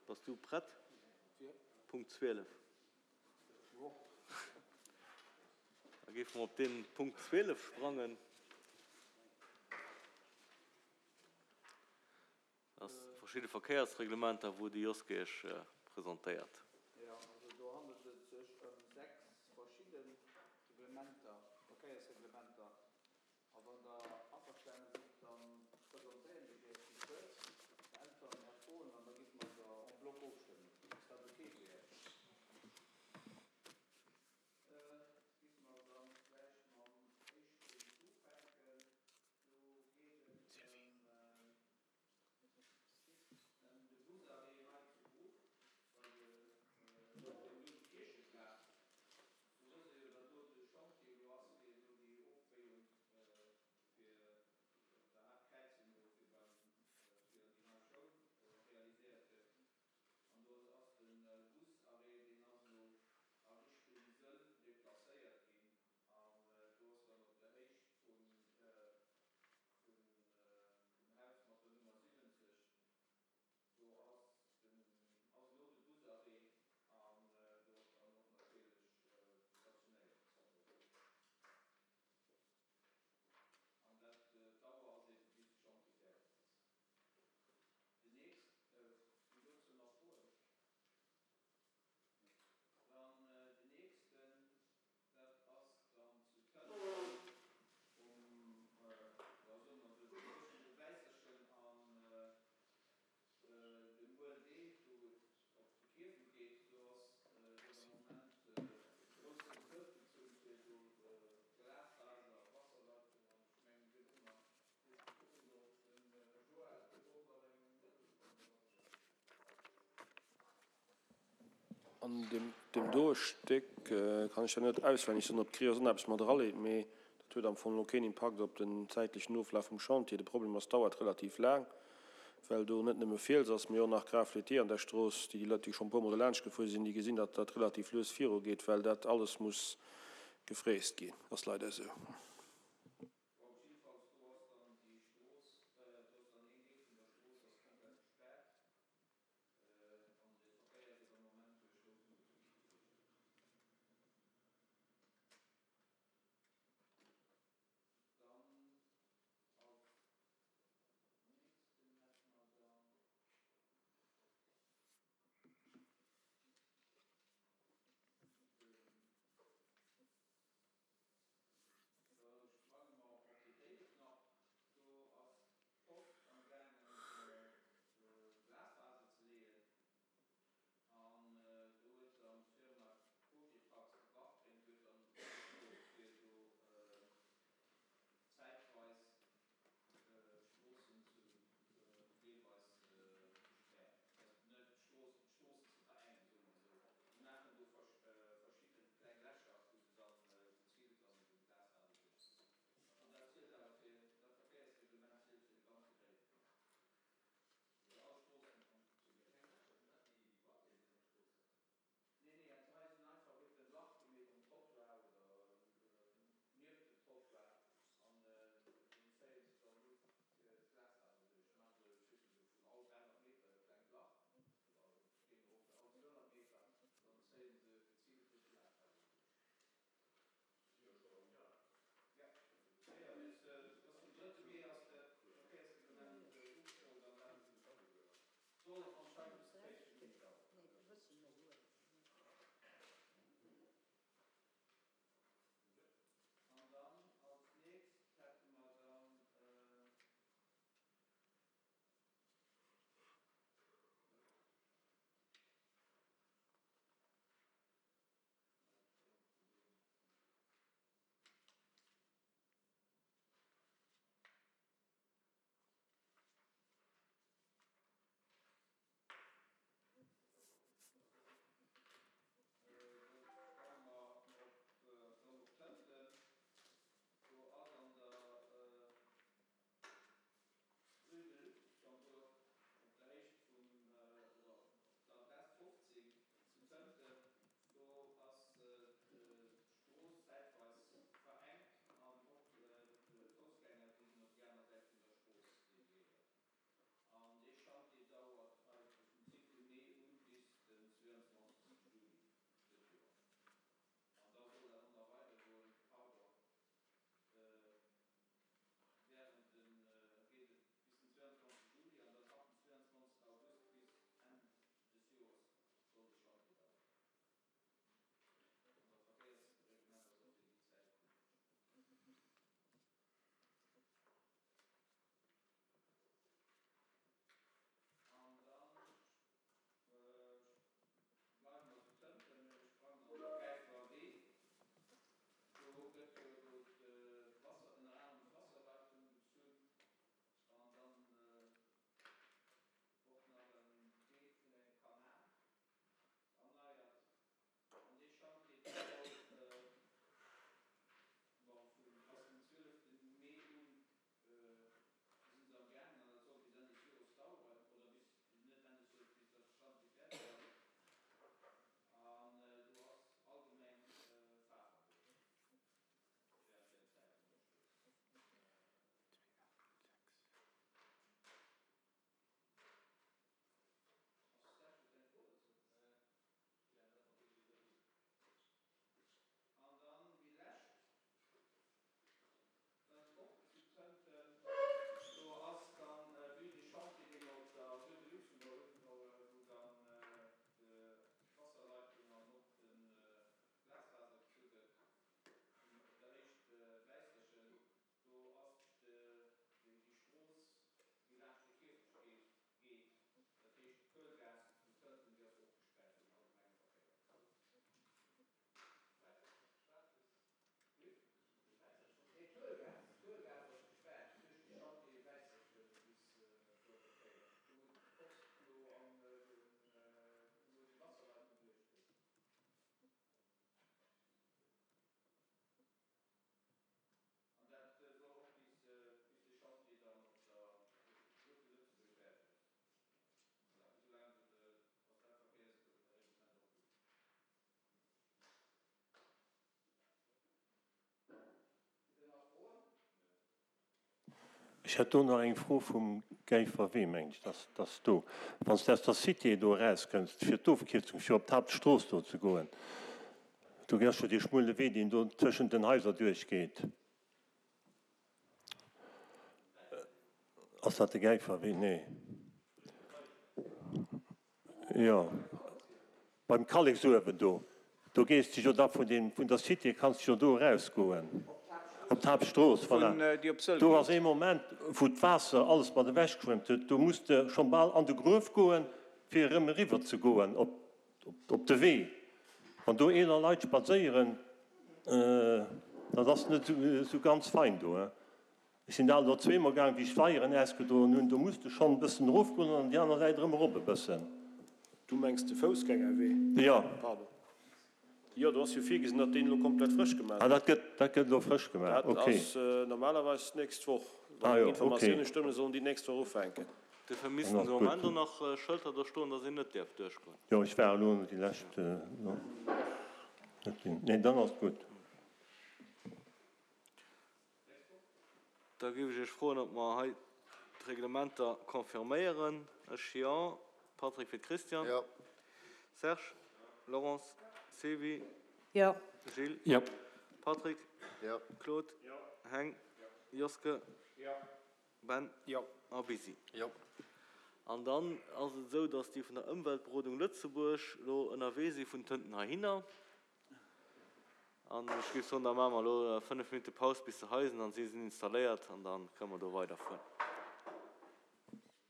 Bass du prett? Punkt 12. Da géife mer op dee Punkt 12 sprangen. Dat ass verschidde Verkéiersreglementer, wou de Joske Iech presentéiert. Jo, also do handelt et sech ëm 6 verschidde Reglementer, Verkéiersreglementer. A wann Der averstane sidd, da presentéieren ech Iech déi kuerz, beäntweren Är Froen an da giff mer se en bloc ofstëmmen. Ass dat ok fir Iech? Giff mer dann vläicht mam éischten ufänken. Do geet et ëm de Busarrêt hei zu Bruch bei de op dem Numm Kiercheplaz. Do wësst Der jo, datt do de Chantier elo ass fir do déi Ofbéiung fir op der Haaptkräizung do fir beim fir an déi nei Schoul realiséiert gëtt. An do ass de Busarrêt, deen ass elo a Richtung Sëll deplacéiert ginn. An do ass dann op der Héicht vum Haus mat der Nummer 70, do ass den, ass elo de Busarrêt an do ass dann och natierlech Stationéierungsverbuet. An dat, d'Dauer ass eebe bis de Chantier fäerdeg ass. Den nächst, sinn dozou nach Froen? Dann den nächsten, dat ass dann zu Tënten um, jo soe mer esou, tëschent dem Wäisserchen an dem ULD, do wou et op de Kierfent geet. Do ass jo am Moment e groussen Tëltenzug fir do Glasfaser, Wasserleitung an ech mengen virdrunner, ech kucken do op den Joël, do ass nach eng Mëttelstonn dermat. An deem doe Stéck kann ech der net auswenneg soen, ob d'Creos och nach eppes mat eraleet, mee dat huet am Fong elo keen Impakt op den zäitlechen Oflaf vum Chantier. De Problem ass, dauert relativ laang, well do net nëmme Fiels ass, mee och nach Grafletier an der Strooss. Déi Leit, déi schonn e puer mol dolaanscht gefuer sinn, déi gesinn, datt dat relativ lues virugeet, well dat alles muss gefräst ginn. Ass leider esou. Bon, jiddefalls do ass dann déi Strooss, do ass dann een Deel vun der Strooss ass komplett gespaart. An de Verkéier gëtt am Moment duerch rout Luuchte gereegelt. Dann als nächsten hätte mer dann den. Ech hätt do nach eng Fro vum Gäifer Wee, mengen ech, dass dass do, wann s de aus der Cité do erauskënns, fir d'Ofkierzung fir op d'Haaptstrooss do ze goen, do ass jo dee schmuele Wee, deen do tëschent den Haiser duerchgeet. Ass dat de Gäifer Wee? Nee. Jo, beim Kalleksuewen do, do gees de jo da vun deem, vun der Cité kanns de jo do erausgoen op d'Haaptstrooss, voilà. Do ass ee Moment, wou d'Waasser alles mat ewech geschwemmt huet, do muss de schonn bal an de Gruef goen, fir erëm eriwwer ze goen op, op de Wee. Wann do eeler Leit spadséieren, dat ass net esou ganz fein do, hein. Ech sinn alt elo zweemol gaang, wéi ech d'Weieren ausgedroen hunn, do muss de schonn e bëssen erofgoen an déi aner Säit erëm erop e bëssen. Du mengs de Foussgängerwee? Jo. Pardon. Jo, do ass jo virgesinn, datt deen elo komplett frësch gemaach Ah, dat gëtt, dat gëtt elo frësch gemaach, Dat okay. ass normalerweis d'nächst Woch. Ah Wann jo, meng Informatioune okay. stëmmen, sollen déi d'nächst Woch ufänken. Dofir Dann missten ass de gutt. Moment och nach Schëlter do stoen, datt een net däerf duerchgoen. Jo, ech war elo déi lescht net ginn. Nee, dann ass gutt. Da géif ech Iech froen, ob mer hei d'Reglementer confirméieren. Ech jo. Patrick fir d'Christiane. Jo. Serge? Laurence? Sylvie? Jo. Gilles? Jo. Patrick? Jo. Claude? Heng? Joske? Ben? Jo. A Busy. Jo. An dann ass et esou, dass déi vun der Ëmweltberodung Lëtzebuerg elo ënnerwee si vun Tënten heihinner. An ech géif soen, da maache mer elo 5 Minutte Paus bis se hei sinn an si sinn installéiert an da kënne mer do weiderfueren.